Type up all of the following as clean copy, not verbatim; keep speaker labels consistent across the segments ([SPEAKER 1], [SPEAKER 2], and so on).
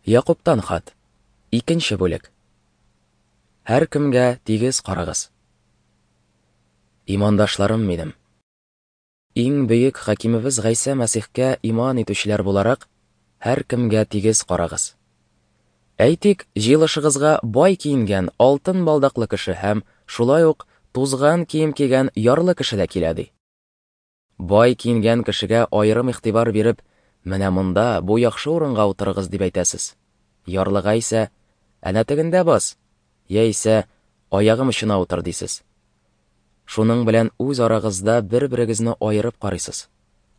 [SPEAKER 1] Якубтан хат. Икенче бүлек. Һәркемгә тигез карагыз. Имандашларым минем. Иң бөек хакимебез Гайсә Мәсихкә иман итүчеләр буларак, һәркемгә тигез карагыз. Әйтик, җыелышыгызга бай киенгән алтын балдаклы кеше һәм шулай ук тузган кием кигән ярлы кеше дә килә ди. Бай киенгән кешегә аерым игътибар биреп, менә монда, бу яхшы урынга утырыгыз дип әйтәсез. Ярлыга исә, әнә тегендә бас, яисә аягым очына утыр дисез. Шуның белән үз арагызда бер-берегезне аерып карыйсыз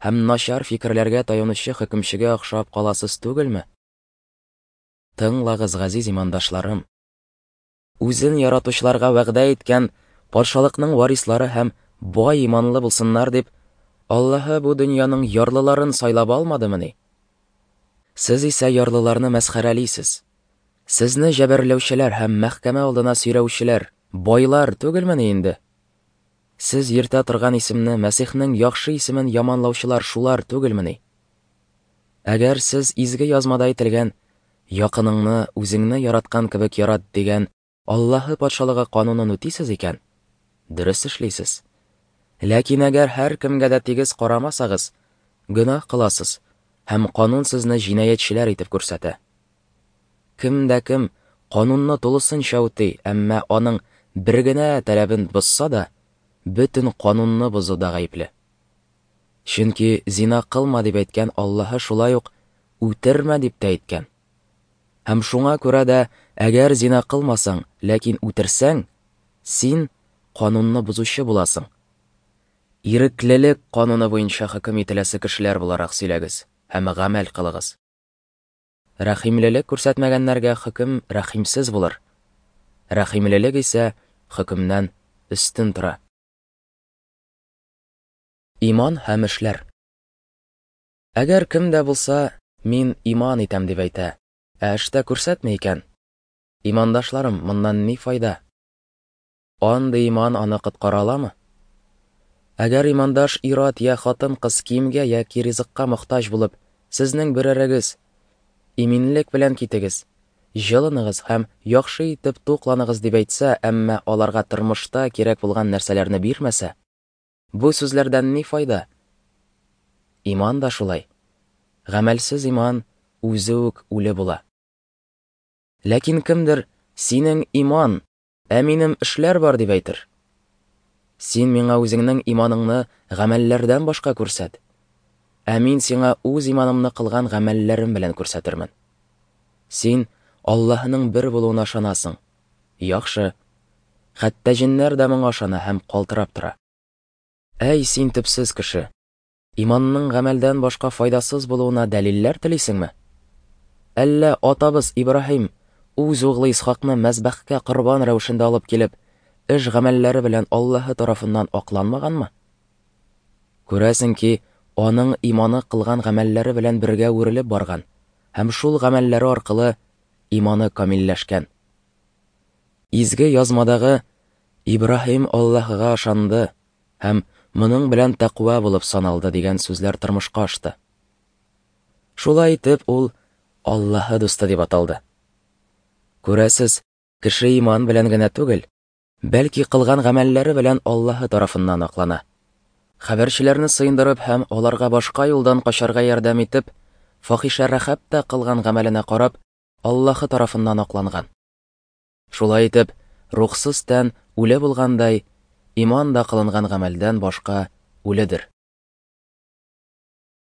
[SPEAKER 1] һәм начар фикерләргә таянучы хөкемчегә охшап каласыз түгелме? Тыңлагыз, газиз имандашларым. Үзен яратучыларга вәгъдә иткән патшалыкның варислары һәм бай иманлы булсыннар дип, Аллаһы бу дөньяның ярлыларын сайлап алмадымыни? Сез исә ярлыларны мәсхәрәлисез. Сезне җәберләүчеләр һәм мәхкәмә алдына сөйрәүчеләр байлар түгелмени инде? Сез йөртә торган исемне Мәсихнең яхшы исемен яманлаучылар шулар түгелмени? Әгәр сез изге язмада әйтелгән Якыныңны үзеңне яраткан кебек ярат дигән Аллаһы патшалыгы канунын үтисез икән, дөрес эшлисез. Ләкин әгәр һәркемгә дә тигез карамасагыз, гөнаһ кыласыз һәм канун сезне җинаятьчеләр итеп күрсәтә. Кем дә кем канунны тулысынча үти, әмма аның бер генә таләбен бозса да, бөтен канунны бозуда гаепле. Чөнки зина кылма дип әйткән Аллаһы шулай ук үтермә дип тә әйткән. Һәм шуңа күрә дә, әгәр зина кылмасаң, ләкин үтерсәң, син канунны бозучы буласың. Иреклелек кануны буенча хөкем ителәсе кешеләр буларак сөйләгез һәм гамәл кылыгыз. Рәхимлелек күрсәтмәгәннәргә хөкем рәхимсез булыр. Рәхимлелек исә хөкемнән өстен тора. Иман һәм эшләр. Әгәр кем дә булса, мин иман итәм дип әйтә, ә эштә күрсәтми икән, имандашларым, моннан ни файда? Андый иман аны коткара аламы? Әгәр имандаш ир-ат я хатын-кыз киемгә яки ризыкка мохтаҗ булып, сезнең берәрегез, Иминлек белән китегез, җылыныгыз һәм яхшы итеп тукланыгыз дип әйтсә, әмма аларга тормышта кирәк булган нәрсәләрне бирмәсә, Бу сүзләрдән ни файда? Иман да шулай. Гамәлсез иман үзе үк үле була. Ләкин кемдер, синең иман, ә минем эшләр бар дип әйтер. Син миңа үзеңнең иманыңны гамәлләрдән башка күрсәт. Ә мин сиңа үз иманымны кылган гамәлләрем белән күрсәтермен. Син Аллаһының бер булуына ышанасың. Яхшы. Хәтта җеннәр дә моңа ышана һәм калтырап тора. Әй, син төпсез кеше! Иманның гамәлдән башка файдасыз булуына дәлилләр телисеңме? Әллә атабыз Ибраһим үз углы Исхакны мәзбәхкә корбан рәвешендә алып килеп, эш гамәлләре белән Аллаһы тарафыннан акланмаганмы? Күрәсең ки, аның иманы кылган гамәлләре белән бергә үрелеп барган һәм шул гамәлләре аркылы иманы камилләшкән. Изге язмадагы Ибраһим Аллаһыга ышанды һәм моның белән тәкъва булып саналды дигән сүзләр тормышка ашты. Шулай итеп, ул Аллаһы дусты дип аталды. Күрәсез, кеше иман белән генә түгел, бәлки кылган гамәлләре белән Аллаһы тарафыннан аклана. Хәбәрчеләрне сыендырып һәм аларга башка юлдан качарга ярдәм итеп, фахишә Рәхәб тә кылган гамәленә карап, Аллаһы тарафыннан акланган. Шулай итеп, рухсыз тән үле булгандай, иман да кылынган гамәлдән башка үледер.